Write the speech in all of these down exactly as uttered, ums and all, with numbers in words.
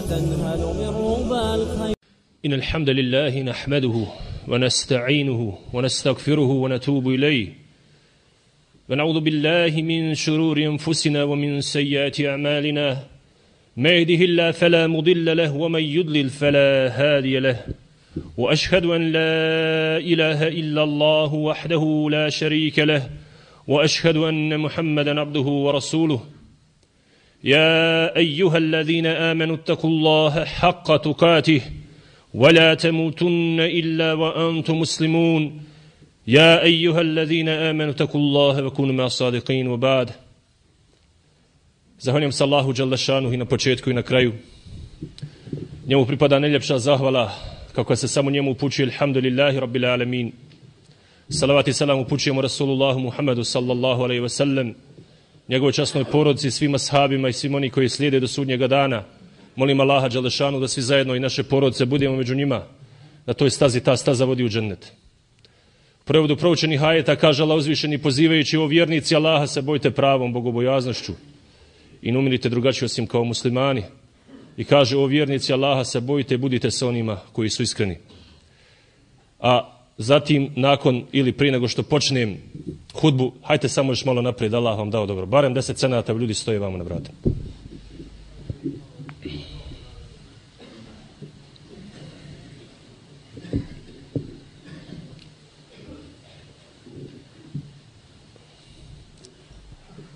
وتنهل من ربى الخير. إن الحمد لله نحمده ونستعينه ونستغفره ونتوب إليه ونعوذ بالله من شرور أنفسنا ومن سيئات أعمالنا ما يهده الله فلا مضل له ومن يضلل فلا هادي له وأشهد أن لا إله إلا الله وحده لا شريك له وأشهد أن محمدا عبده ورسوله يا أيها الذين آمنوا اتقوا الله حق تقاته ولا تموتن إلا وأنتم مسلمون يا أيها الذين آمنوا اتقوا الله وكونوا مع الصادقين وبعد. Zahvaljujem se Allahu dželle šanuhu i na početku i na kraju. Njemu pripada najljepša zahvala, kako se samo njemu upućuje, alhamdulillahi rabbil alamin. Salavat i salam upućujemo Rasulullahu Muhammedu sallallahu alaihi wa sallam, njegovoj časnoj porodici, svima sahabima i svim oni koji slijede do sudnjega dana. Molim Allaha dželle šanuhu da svi zajedno i naše porodice budemo među njima, na toj stazi ta staza vodi u džennet. U prevodu proučenih ajeta kaže Allah uzvišeni, pozivajući o vjernici Allaha se bojte pravom bogobojaznošću i ne umirite drugačije osim kao muslimani. I kaže o vjernici Allaha se bojite i budite sa onima koji su iskreni. A zatim nakon ili prije nego što počnem hudbu, hajte samo još malo naprijed, Allah vam dao dobro. Barem deset cenata ljudi stoje vamo na vrata.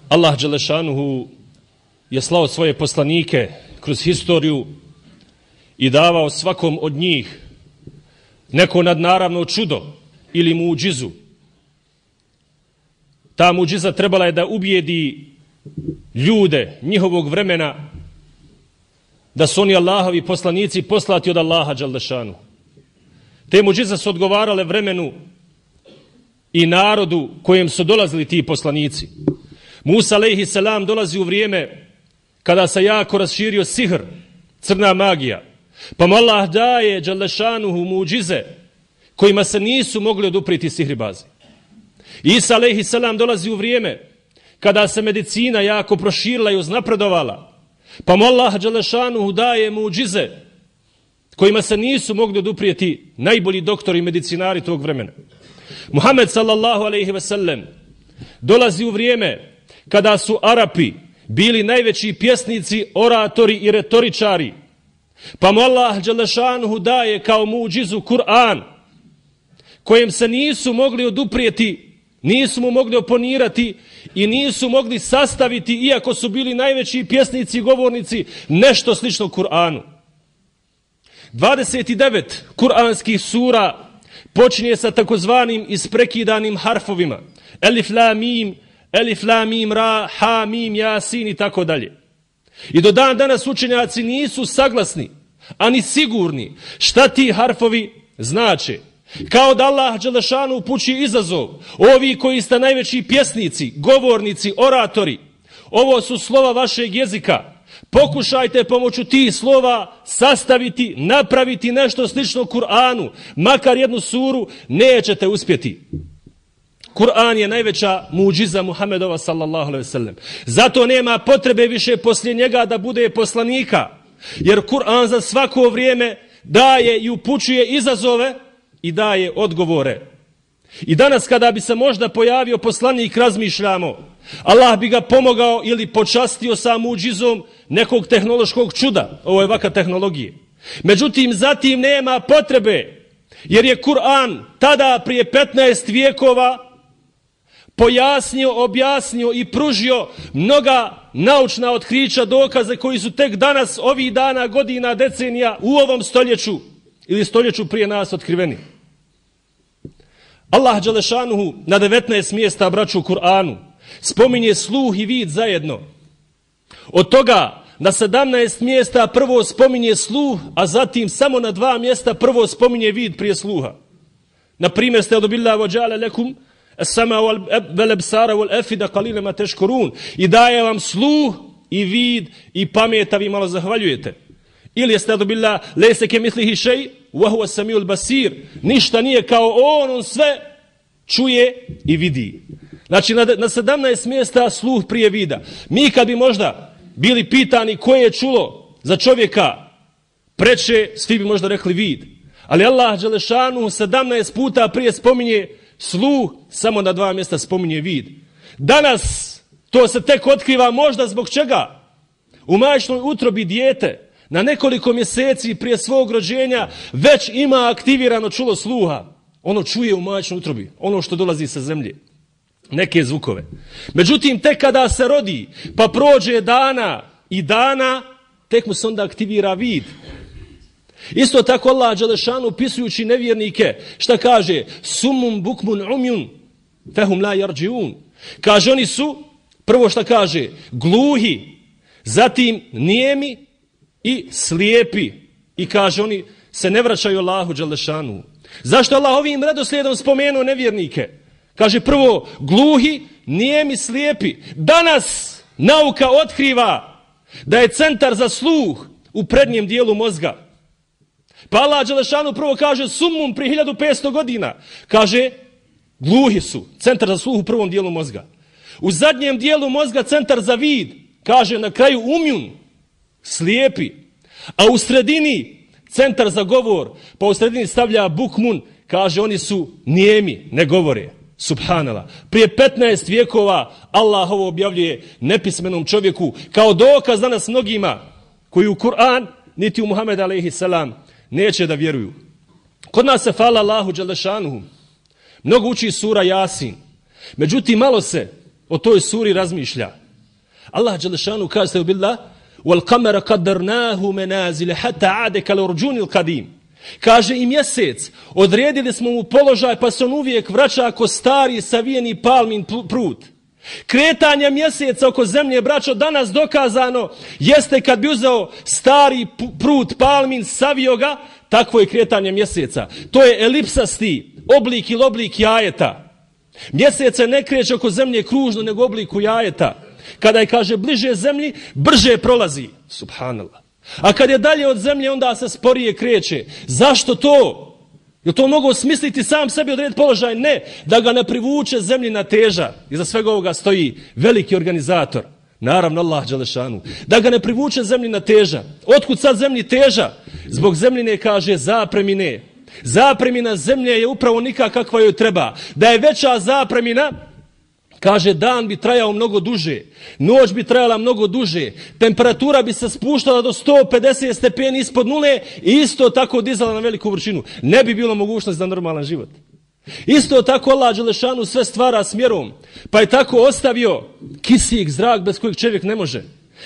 Allah dželle šanuhu je slao svoje poslanike kroz historiju i davao svakom od njih neko nadnaravno čudo ili muđizu. Ta muđiza trebala je da ubijedi ljude njihovog vremena da su oni Allahovi poslanici poslati od Allaha dželle šanuhu. Te muđize su odgovarale vremenu i narodu kojem su dolazili ti poslanici. Musa alejhi selam dolazi u vrijeme kada se jako raširio sihr, crna magija. Pa mu Allah daje dželle šanuhu muđize kojima se nisu mogli odupriti sihribazi. Isa alejhi selam dolazi u vrijeme kada se medicina jako proširila i uznapredovala. Pa mu Allah dželle šanuhu daje muđize kojima se nisu mogli oduprijeti najbolji doktori i medicinari tog vremena. Muhammed sallallahu alejhi ve sellem dolazi u vrijeme kada su Arapi bili najveći pjesnici, oratori i retoričari. Pa mu Allah dželle šanuhu daje kao muđizu Kur'an, kojem se nisu mogli oduprijeti, nisu mu mogli oponirati i nisu mogli sastaviti, iako su bili najveći pjesnici i govornici, nešto slično Kur'anu. dvadeset devet kur'anskih sura počinje sa takozvanim isprekidanim harfovima. Elif, la, mim, Elif, la, mim, ra, ha, mim, jasin i tako dalje. I do dan danas učenjaci nisu saglasni, ani sigurni šta ti harfovi znače. Kao da Allah dželle šanuhu upućuje izazov. Ovi koji ste najveći pjesnici, govornici, oratori, ovo su slova vašeg jezika. Pokušajte pomoću tih slova sastaviti, napraviti nešto slično Kur'anu, makar jednu suru, nećete uspjeti. Kur'an je najveća muđiza Muhammedova sallallahu alejhi ve sellem. Zato nema potrebe više poslije njega da bude poslanika, jer Kur'an za svako vrijeme daje i upućuje izazove i daje odgovore. I danas kada bi se možda pojavio poslanik, razmišljamo, Allah bi ga pomogao ili počastio sa muđizom nekog tehnološkog čuda, ovo je vaka tehnologije. Međutim, zatim nema potrebe, jer je Kur'an tada prije petnaest vijekova pojasnio, objasnio i pružio mnoga naučna otkrića, dokaze koji su tek danas, ovih dana, godina, decenija, u ovom stoljeću ili stoljeću prije nas otkriveni. Allah dželle šanuhu na devetnaest mjesta, braću, u Kur'anu spominje sluh i vid zajedno. Od toga na sedamnaest mjesta prvo spominje sluh, a zatim samo na dva mjesta prvo spominje vid prije sluha. Na primjer, ste odobillah wa ja'ala lakum as-sama wal absara wal afida qalilan ma tashkurun. I daje vam sluh i vid i pamet, a vi malo zahvaljujete. Ili jeste odobillah laysa kamithlihi shay wa huwa as-sami'ul basir. Ništa nije kao on, on sve čuje i vidi. Znači na, na sedamnaest mjesta sluh prije vida. Mi kad bi možda bili pitani koje je čulo za čovjeka preče, svi bi možda rekli vid. Ali Allah dželešanu sedamnaest puta prije spominje sluh, samo na dva mjesta spominje vid. Danas to se tek otkriva možda zbog čega? U majčinoj utrobi dijete na nekoliko mjeseci prije svog rođenja već ima aktivirano čulo sluha. Ono čuje u majčinoj utrobi, ono što dolazi sa zemlje. Neke zvukove. Međutim, tek kada se rodi, pa prođe dana i dana, tek mu se onda aktivira vid. Isto tako Allah dželešanu opisujući nevjernike, šta kaže? Sumum bukmun umjun, fehum la yarđiun. Kaže, oni su, prvo šta kaže, gluhi, zatim nijemi i slijepi. I kaže, oni se ne vraćaju Allahu dželešanu. Zašto Allah ovim redoslijedom spomenuo nevjernike? Kaže, prvo, gluhi, nijemi, slijepi. Danas nauka otkriva da je centar za sluh u prednjem dijelu mozga. Pa Allah dželešanu prvo kaže sumum pri hiljadu petsto godina. Kaže, gluhi su, centar za sluh u prvom dijelu mozga. U zadnjem dijelu mozga centar za vid, kaže na kraju umjun, slijepi. A u sredini centar za govor, pa u sredini stavlja bukmun, kaže oni su nijemi, ne govore. Subhanallah. Prije petnaest vijekova Allah ovo objavljuje nepismenom čovjeku kao dokaz danas mnogima koji u Kur'an niti u Muhammed alejhi selam neće da vjeruju. Kod nas se fala Allahu dželešanuhu. Mnogo uči sura Jasin. Međutim, malo se o toj suri razmišlja. Allah dželešanuhu kaže se u billah wal qamara qaddarnahu manazil hatta aada kal urjun al qadim. Kaže i mjesec, odredili smo mu položaj pa se on uvijek vraća ako stari savijeni palmin prut. Kretanje mjeseca oko zemlje, braćo, danas dokazano jeste kad bi uzeo stari prut palmin, savio ga, takvo je kretanje mjeseca. To je elipsasti oblik ili oblik jajeta. Mjesec se ne kreće oko zemlje kružno nego obliku jajeta. Kada je, kaže, bliže zemlji, brže prolazi. Subhanallah. A kad je dalje od zemlje, onda se sporije kreće. Zašto to? Je to mogu smisliti sam sebi odrediti položaj? Ne, da ga ne privuče zemljina teža. Iza svega ovoga stoji veliki organizator. Naravno Allah dželešanu. Da ga ne privuče zemljina teža. Otkud sad zemlji teža? Zbog zemljine, kaže, zapremine. Zapremina zemlje je upravo nikakva kakva joj treba. Da je veća zapremina, kaže, dan bi trajao mnogo duže, noć bi trajala mnogo duže, temperatura bi se spuštala do sto pedeset stepeni ispod nule i isto tako dizala na veliku vršinu. Ne bi bilo mogućnost za normalan život. Isto tako Allah dželešanu sve stvara smjerom, pa je tako ostavio kisik, zrak bez kojeg čovjek ne može.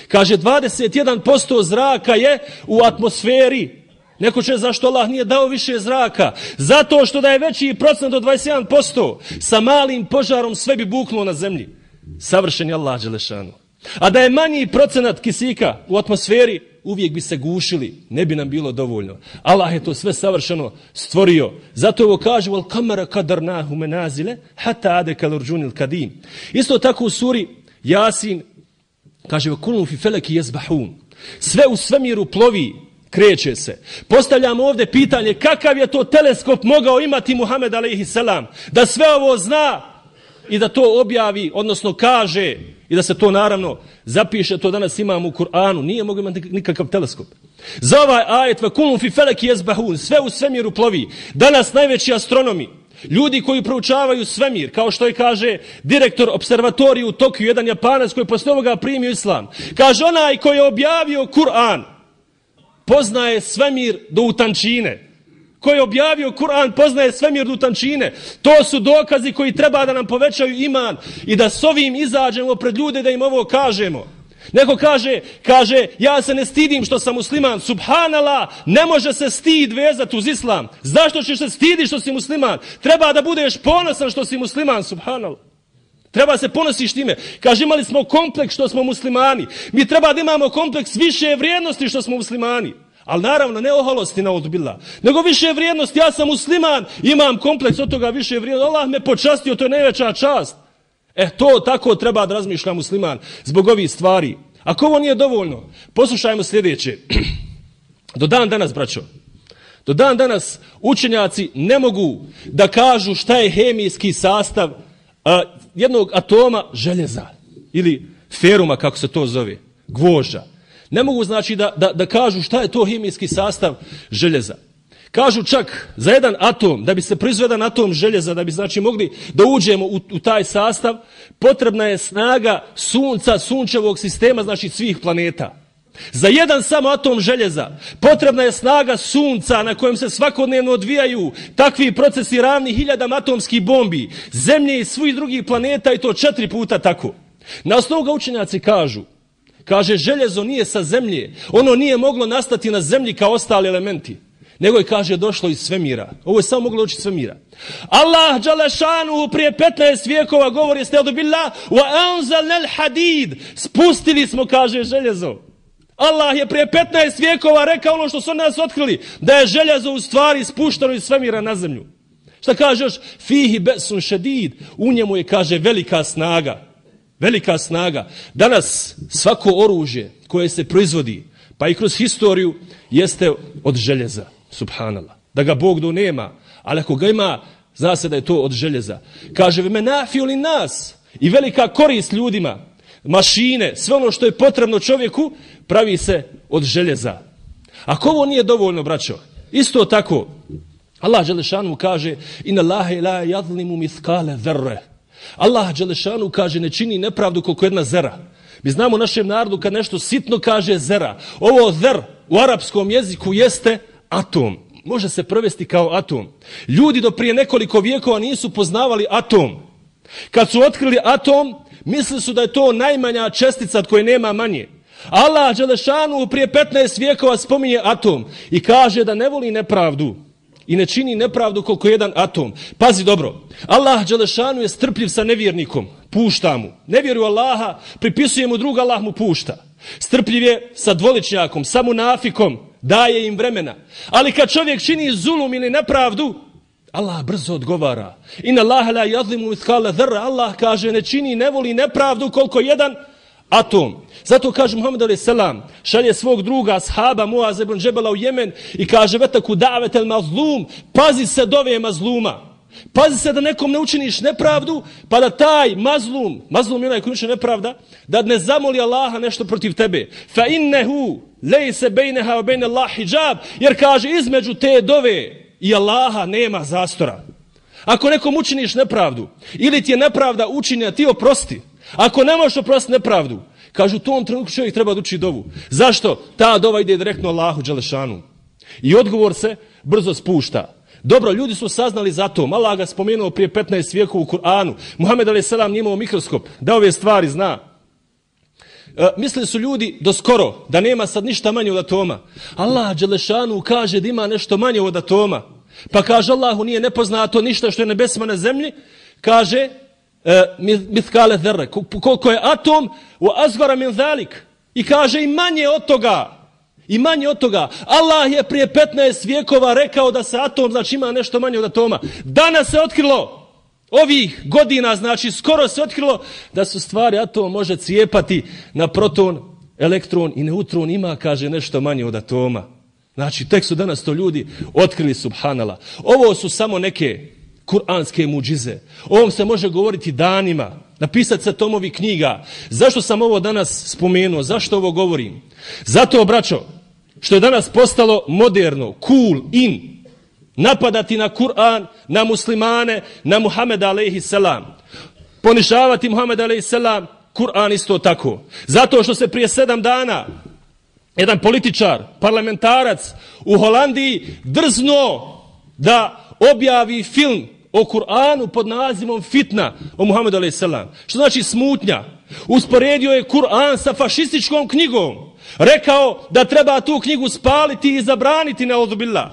Kaže, dvadeset jedan posto zraka je u atmosferi. Neko će, zašto Allah nije dao više zraka? Zato što da je veći procent od dvadeset jedan posto, sa malim požarom sve bi buknulo na zemlji. Savršen je Allah dželešanu. A da je manji procenat kisika u atmosferi, uvijek bi se gušili, ne bi nam bilo dovoljno. Allah je to sve savršeno stvorio. Zato ovo kaže wal qamara qadarnahu manazila hatta aada kal urjun al qadim. Isto tako u suri Jasin kaže wa kullu fi falaki yasbahun. Sve u svemiru plovi, kreće se. Postavljamo ovdje pitanje kakav je to teleskop mogao imati Muhammed alejhi selam da sve ovo zna i da to objavi, odnosno kaže i da se to naravno zapiše, to danas imamo u Kur'anu. Nije mogao imati nikakav teleskop. Za ovaj ajet vakulum fi feleki jezbahun, sve u svemiru plovi. Danas najveći astronomi, ljudi koji proučavaju svemir, kao što je kaže direktor observatorije u Tokiju, jedan Japanac koji posle ovoga primio islam. Kaže, onaj koji je objavio Kur'an poznaje svemir do utančine. Koji je objavio Kur'an poznaje svemir do utančine. To su dokazi koji treba da nam povećaju iman i da s ovim izađemo pred ljude da im ovo kažemo. Neko kaže, kaže, ja se ne stidim što sam musliman. Subhanallah, ne može se stid vezati uz islam. Zašto ćeš se stiditi što si musliman? Treba da budeš ponosan što si musliman, subhanallah. Treba se ponosiš time. Kaže, imali smo kompleks što smo muslimani. Mi treba da imamo kompleks više vrijednosti što smo muslimani. Ali naravno, ne oholosti na odbila, nego više vrijednosti. Ja sam musliman, imam kompleks od toga više vrijednosti. Allah me počastio, to je najveća čast. E, to tako treba da razmišlja musliman zbog ovih stvari. Ako ovo nije dovoljno, poslušajmo sljedeće. Do dan danas, braćo, do dan danas učenjaci ne mogu da kažu šta je hemijski sastav a, jednog atoma željeza ili feruma, kako se to zove, gvožđa. Ne mogu znači da, da, da kažu šta je to hemijski sastav željeza. Kažu čak za jedan atom, da bi se proizveo jedan atom željeza, da bi znači mogli da uđemo u, u taj sastav, potrebna je snaga sunca, sunčevog sistema, znači svih planeta. Za jedan samo atom željeza potrebna je snaga sunca na kojem se svakodnevno odvijaju takvi procesi ravni hiljadama atomskih bombi, zemlje i svih drugih planeta i to četiri puta tako. Na osnovu ga učenjaci kažu, kaže željezo nije sa zemlje, ono nije moglo nastati na zemlji kao ostali elementi, nego je, kaže, došlo iz svemira. Ovo je samo moglo doći iz svemira. Allah dželešanu prije petnaest vijekova govori staudu billah wa anzalnal hadid, spustili smo, kaže, željezo. Allah je prije petnaest vijekova rekao ono što su nas otkrili, da je željezo u stvari spušteno iz svemira na zemlju. Šta kaže još? Fihi besun šedid, u njemu je, kaže, velika snaga. Velika snaga. Danas svako oružje koje se proizvodi, pa i kroz historiju, jeste od željeza. Subhanallah. Da ga Bog do nema, ali ako ga ima, zna se da je to od željeza. Kaže, menafiu li nas, i velika korist ljudima, mašine, sve ono što je potrebno čovjeku, pravi se od željeza. Ako ovo nije dovoljno, braćo, isto tako, Allah dželešanu kaže, inna Allahe la yadlimu mithqala dharre. Allah dželešanu kaže, ne čini nepravdu koliko jedna zera. Mi znamo u našem narodu kad nešto sitno kaže zera. Ovo zer u arapskom jeziku jeste atom. Može se prevesti kao atom. Ljudi do prije nekoliko vijekova nisu poznavali atom. Kad su otkrili atom, mislili su da je to najmanja čestica od koje nema manje. Allah dželešanu prije petnaest vijekova spominje atom i kaže da ne voli nepravdu i ne čini nepravdu koliko jedan atom. Pazi dobro, Allah dželešanu je strpljiv sa nevjernikom, pušta mu. Ne vjeruje Allaha, pripisuje mu druga, Allah mu pušta. Strpljiv je sa dvoličnjakom, sa munafikom, daje im vremena. Ali kad čovjek čini zulum ili nepravdu, Allah brzo odgovara. Inna Allaha la yadlimu mithqala dharra. Allah kaže, ne čini, ne voli nepravdu koliko jedan atom. Zato kaže Muhammed alejhi selam, šalje svog druga ashaba Muaz ibn Džebela u Jemen i kaže, vetaku da'vetel mazlum, pazi se dove mazluma. Pazi se da nekom ne učiniš nepravdu, pa da taj mazlum, mazlum je onaj koji učini nepravda, da ne zamoli Allaha nešto protiv tebe. Fa innehu lejse bejneha wa bejne Allah hijab, jer kaže, između te dove i Allaha nema zastora. Ako nekom učiniš nepravdu, ili ti je nepravda učinjena, ti oprosti. Ako ne možeš oprostiti nepravdu, kažu, u tom trenutku čovjek treba da uči dovu. Zašto? Ta dova ide direktno Allahu dželešanu. I odgovor se brzo spušta. Dobro, ljudi su saznali za to. Allah ga spomenuo prije petnaest vijekova u Kur'anu. Muhammed alejhi selam nije imao mikroskop, da ove stvari zna. E, mislili su ljudi do skoro da nema sad ništa manje od atoma. Allah dželešanu kaže da ima nešto manje od atoma. Pa kaže, Allahu nije nepoznato ništa što je nebesima na zemlji. Kaže, e, mithqala dharre, koliko je atom, wa asghara min zalik. I kaže i manje od toga. I manje od toga. Allah je prije petnaest vijekova rekao da se atom, znači, ima nešto manje od atoma. Danas se otkrilo, ovih godina, znači skoro se otkrilo da su stvari atom može cijepati na proton, elektron i neutron, ima, kaže, nešto manje od atoma. Znači, tek su danas to ljudi otkrili, subhanallah. Ovo su samo neke kuranske muđize. O ovom se može govoriti danima, napisati se tomovi knjiga. Zašto sam ovo danas spomenuo? Zašto ovo govorim? Zato, braćo, što je danas postalo moderno, cool, in, napadati na Kur'an, na muslimane, na Muhameda alejhi selam. Ponižavati Muhameda alejhi selam, Kur'an isto tako. Zato što se prije sedam dana jedan političar, parlamentarac u Holandiji drzno da objavi film o Kur'anu pod nazivom Fitna o Muhammedu alejhi selam. Što znači smutnja? Usporedio je Kur'an sa fašističkom knjigom. Rekao da treba tu knjigu spaliti i zabraniti, neudzubillah.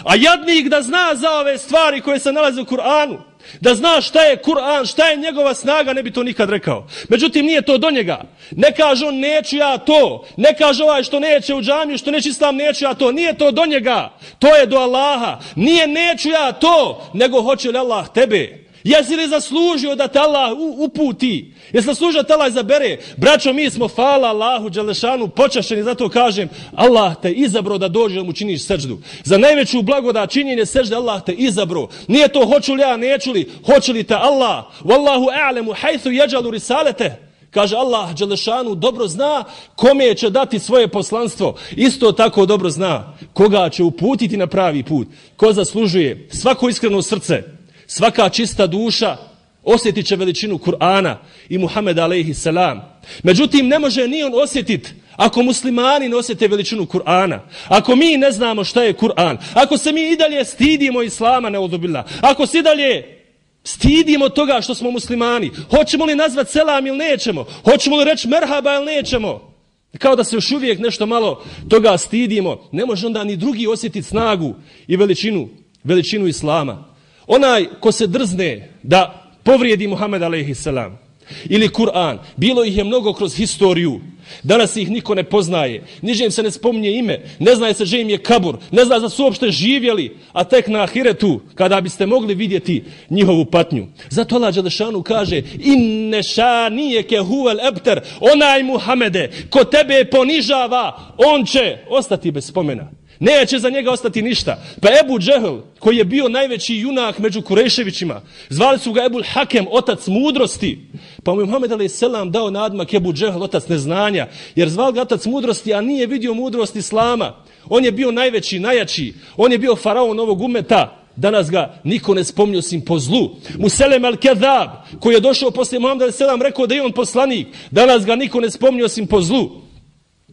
A jadnik da zna za ove stvari koje se nalaze u Kur'anu, da zna šta je Kur'an, šta je njegova snaga, ne bi to nikad rekao. Međutim, nije to do njega. Ne kaže on, neću ja to. Ne kaže ovaj što neće u džamiju, što neće islam, neću ja to. Nije to do njega. To je do Allaha. Nije neću ja to, nego hoće li Allah tebe. Jesi li zaslužio da te Allah uputi? Jesi zaslužio da te Allah izabere? Braćo, mi smo, hvala Allahu dželešanu, počašćeni, zato kažem, Allah te izabro da dođe da mu činiš seždu. Za najveću blagodat činjenje sežde Allah te izabro. Nije to hoću li ja, neću li, hoće li te Allah. Wallahu a'lemu hajthu yaj'alu risalete. Kaže Allah dželešanu dobro zna kome će dati svoje poslanstvo. Isto tako dobro zna koga će uputiti na pravi put. Ko zaslužuje svako iskreno srce, svaka čista duša osjetit će veličinu Kur'ana i Muhameda alejhi selam. Međutim, ne može ni on osjetiti ako muslimani ne osjete veličinu Kur'ana, ako mi ne znamo šta je Kur'an, ako se mi i dalje stidimo Islama, neudzubillah, ako se i dalje stidimo toga što smo muslimani, hoćemo li nazvat selam ili nećemo, hoćemo li reći merhaba ili nećemo, kao da se još uvijek nešto malo toga stidimo, ne može onda ni drugi osjetiti snagu i veličinu, veličinu Islama. Onaj ko se drzne da povrijedi Muhammed alejhi selam ili Kur'an, bilo ih je mnogo kroz historiju, danas ih niko ne poznaje, niže im se ne spominje ime, ne zna se že im je kabur, ne zna da su uopšte živjeli, a tek na ahiretu kada biste mogli vidjeti njihovu patnju. Zato Allah dželešanu kaže inne šanijeke huvel ebter, onaj Muhammede ko tebe ponižava, on će ostati bez spomena. Neće za njega ostati ništa. Pa Ebu Džehl, koji je bio najveći junak među Kurejševićima, zvali su ga Ebul Hakem, otac mudrosti. Pa mu je Muhammed alejhi selam dao nadmak Ebu Džehl, otac neznanja, jer zvali ga otac mudrosti, a nije vidio mudrost Islama. On je bio najveći, najjači. On je bio faraon ovog umeta. Danas ga niko ne spominje osim po zlu. Muselem al-Kedab, koji je došao poslije Muhammed alejhi selam, rekao da je on poslanik. Danas ga niko ne spominje osim po zlu.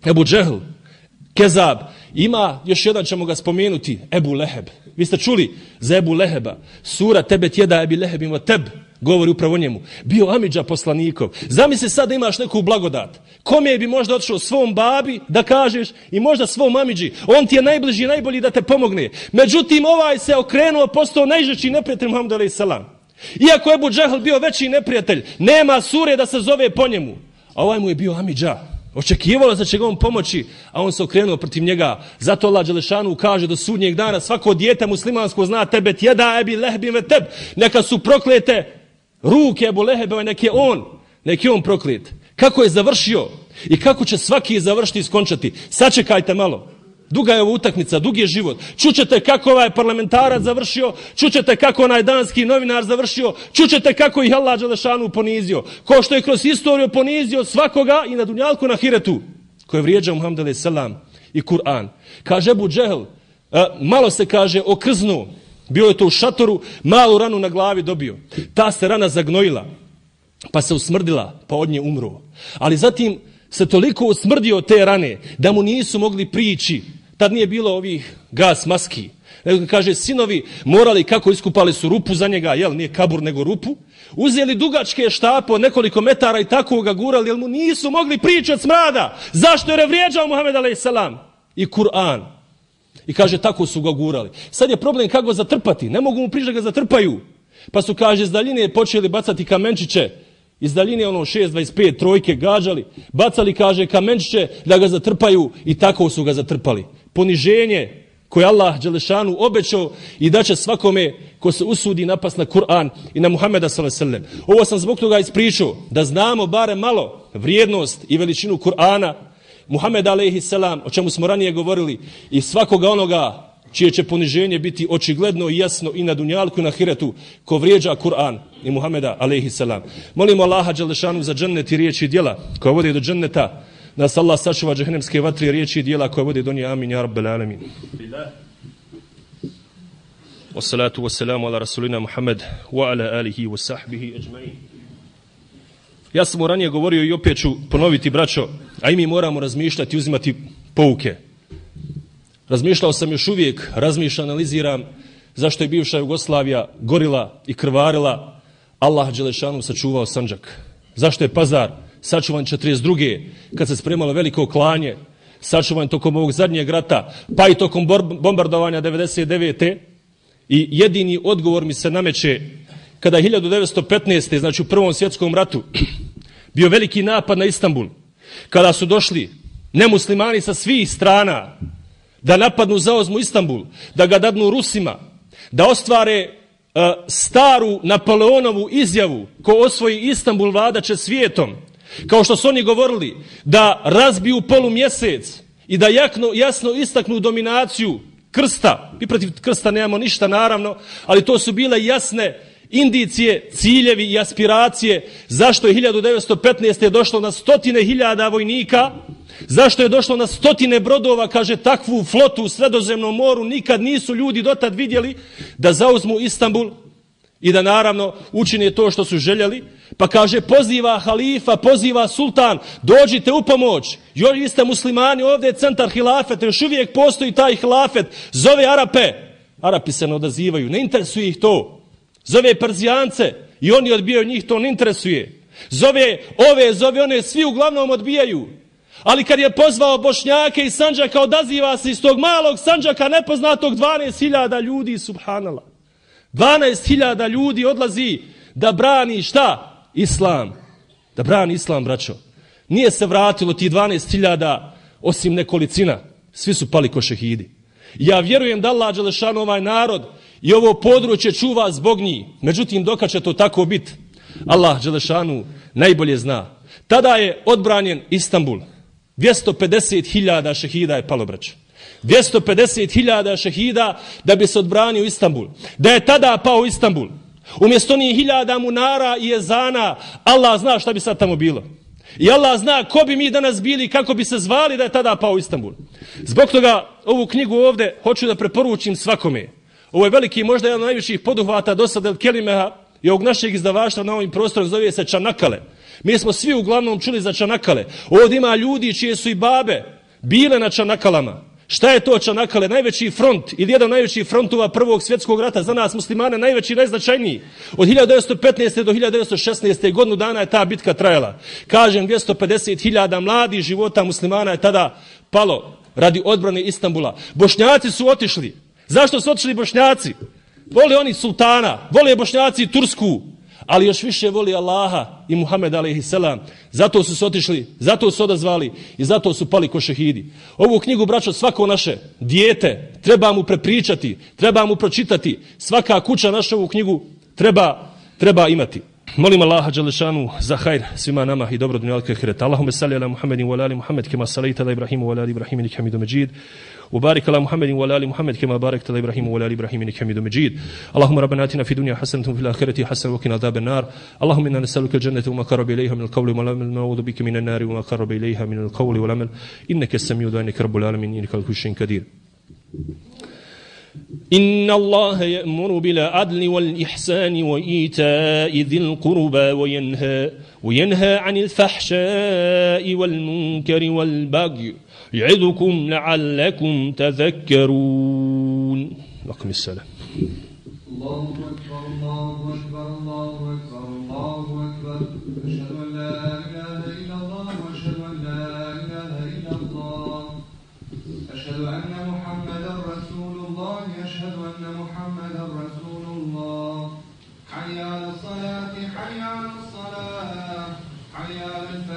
Ebu Džehl, Kezab. Ima, još jedan ćemo ga spomenuti, Ebu Leheb. Vi ste čuli za Ebu Leheba. Sura Tebet jeda Ebi Lehebim od teb, govori upravo njemu. Bio amidža poslanikov. Zamisli sad da imaš neku blagodat. Kome bi možda otišao svom babi da kažeš i možda svom amidži. On ti je najbliži i najbolji da te pomogne. Međutim, ovaj se okrenuo, postao najžešći neprijatelj Muhammed alejhi selam. Iako je Ebu Džehl bio veći neprijatelj, nema sure da se zove po njemu. A ovaj mu je bio amidža. Očekivalo da će ga on pomoći, a on se okrenuo protiv njega. Zato Allah dželešanu kaže do sudnjeg dana svako dijete muslimansko zna tebet jeda Ebi Lehebim ve teb. Neka su proklete ruke Ebu Lehebove, nek je on, nek je on proklet. Kako je završio i kako će svaki završiti i skončati. Sačekajte malo. Duga je ovo utakmica, dug je život. Čućete kako ovaj parlamentarac završio, čućete kako onaj danski novinar završio, čućete kako ih Allah dželešanu ponizio. Ko što je kroz historiju ponizio svakoga i na dunjalku na ahiretu, ko je vrijeđao Muhammed alejhi selam i Kur'an. Kaže Ebu Džehl, malo se kaže okrznuo, bio je to u šatoru, malu ranu na glavi dobio. Ta se rana zagnojila, pa se usmrdila, pa od nje umro. Ali zatim se toliko usmrdio od te rane da mu nisu mogli prići. Tad nije bilo ovih gas maski. Kaže, sinovi morali, kako iskupali su rupu za njega, jel, nije kabur nego rupu, uzeli dugačke štape od nekoliko metara i tako ga gurali, jer mu nisu mogli prići od smrada. Zašto? Jer je vrijeđao Muhammed alejhi selam i Kur'an. I kaže, tako su ga gurali. Sad je problem kako ga zatrpati. Ne mogu mu prići da ga zatrpaju. Pa su, kaže, iz daljine počeli bacati kamenčiće. Iz daljine ono šest dvadeset pet trojke gađali. Bacali, kaže, kamenčiće da ga zatrpaju i tako su ga zatrpali. Poniženje koje Allah dželešanu obećao i da će svakome ko se usudi napast na Kur'an i na Muhameda sallallahu alejhi ve sellem. Ovo sam zbog toga ispričao da znamo bare malo vrijednost i veličinu Kur'ana, Muhameda alejhi selam, o čemu smo ranije govorili, i svakoga onoga čije će poniženje biti očigledno i jasno i na dunjalku i na ahiretu ko vrijeđa Kur'an i Muhameda alejhi selam. Molimo Allaha dželešanu za džennet i riječi i djela koja vode do dženneta. Nas Allah sačuva džehennemske vatre, riječi i djela koje vode do nje. Amin, ja rabbel alamin. Wassalatu wassalamu ala rasulina Muhammed wa ala alihi wa sahbihi ajma'in. Ja sam ranije govorio i opet ću ponoviti, braćo, a i mi moramo razmišljati i uzimati pouke. Razmišljao sam još uvijek, razmišljam, analiziram zašto je bivša Jugoslavija gorila i krvarila. Allah dželešanu sačuvao Sandžak. Zašto je Pazar sačuvan četrdeset druge kad se spremalo veliko klanje, sačuvan tokom ovog zadnjeg rata, pa i tokom bombardovanja devedeset devete. I jedini odgovor mi se nameće kada je hiljadu devetsto petnaeste. znači u Prvom svjetskom ratu, bio veliki napad na Istanbul, kada su došli nemuslimani sa svih strana da napadnu, zaozmu Istanbul, da ga dadnu Rusima, da ostvare uh, staru Napoleonovu izjavu ko osvoji Istanbul vladaće svijetom, kao što su oni govorili, da razbiju polumjesec i da jakno, jasno istaknu dominaciju krsta. Mi protiv krsta nemamo ništa, naravno, ali to su bile jasne indicije, ciljevi i aspiracije zašto je hiljadu devetsto petnaeste. došlo na stotine hiljada vojnika, zašto je došlo na stotine brodova, kaže takvu flotu u Sredozemnom moru nikad nisu ljudi dotad vidjeli, da zauzmu Istanbul i da naravno učine to što su željeli. Pa kaže poziva halifa, poziva sultan, dođite u pomoć. Još vi ste muslimani, ovdje je centar hilafeta, još uvijek postoji taj hilafet, zove Arape. Arapi se ne odazivaju, ne interesuje ih to. Zove Perzijance i oni odbijaju, njih to ne interesuje. Zove ove, zove one, svi uglavnom odbijaju. Ali kad je pozvao Bošnjake iz Sandžaka, odaziva se iz tog malog Sandžaka nepoznatog dvanaest hiljada ljudi, subhanallah. dvanaest hiljada ljudi odlazi da brani šta? Islam. Da brani Islam, braćo. Nije se vratilo ti dvanaest hiljada osim nekolicina. Svi su pali ko šehidi. Ja vjerujem da Allah dželešanu ovaj narod i ovo područje čuva zbog njih. Međutim, dokad će to tako biti, Allah dželešanu najbolje zna. Tada je odbranjen Istanbul. dvjesto pedeset hiljada šehida je palo, braćo. dvjesto pedeset hiljada šehida da bi se odbranio Istanbul. Da je tada pao Istanbul, umjesto njih hiljada munara i ezana, Allah zna šta bi sad tamo bilo. I Allah zna ko bi mi danas bili, kako bi se zvali da je tada pao Istanbul. Zbog toga ovu knjigu ovdje hoću da preporučim svakome. Ovo je veliki, možda jedan od najviših poduhvata do sada Kelimeha i ovog našeg izdavaštva na ovim prostorom, zove se Čanakale. Mi smo svi uglavnom čuli za Čanakale. Ovdje ima ljudi čije su i babe bile na Čanakalama. Šta je to Čanakale? Najveći front ili jedan od najvećih frontova prvog svjetskog rata za nas muslimane, najveći, najznačajniji. Od hiljadu devetsto petnaeste. do hiljadu devetsto šesnaeste. godinu dana je ta bitka trajala. Kažem, dvjesto pedeset hiljada mladih života muslimana je tada palo radi odbrane Istanbula. Bošnjaci su otišli. Zašto su otišli Bošnjaci? Vole oni sultana, vole Bošnjaci Tursku, ali još više voli Allaha i Muhammed alejhi selam. Zato su se otišli, zato su odazvali i zato su pali ko šehidi. Ovu knjigu, braćo, svako naše dijete treba mu prepričati, treba mu pročitati. Svaka kuća naša ovu knjigu treba, treba imati. Molim Allaha dželešanu za hajr svima nama i dobro dunjalka i ahireta. Allahumme salli ala Muhammedin wa ala ali Muhammed kema salaita ala Ibrahimu wa ala ali Ibrahim innaka Hamidum Majid. وبارك على محمد وعلى ال محمد كما باركت على ابراهيم وعلى ال ابراهيم انك حميد مجيد. اللهم ربنا آتنا في الدنيا حسنة وفي الآخرة حسنة وقنا عذاب النار. اللهم انا نسألك الجنة وما قرب اليها من القول والعمل، نعوذ بك من النار وما قرب اليها من القول والعمل، انك السميع الدعاء انك رب العالمين انك على كل شيء قدير. إن الله يأمر بالعدل والإحسان وإيتاء ذي القربى وينهى وينهى عن الفحشاء والمنكر والبغي يعظكم لعلكم تذكرون. أقم السلام. الله أكبر الله أكبر الله أكبر الله أكبر. أشهد أن لا إله إلا الله وأشهد أن لا إله إلا الله. أشهد أن محمدا رسول الله. أشهد أن محمدا رسول الله. حي على الصلاة حي على الصلاة حي على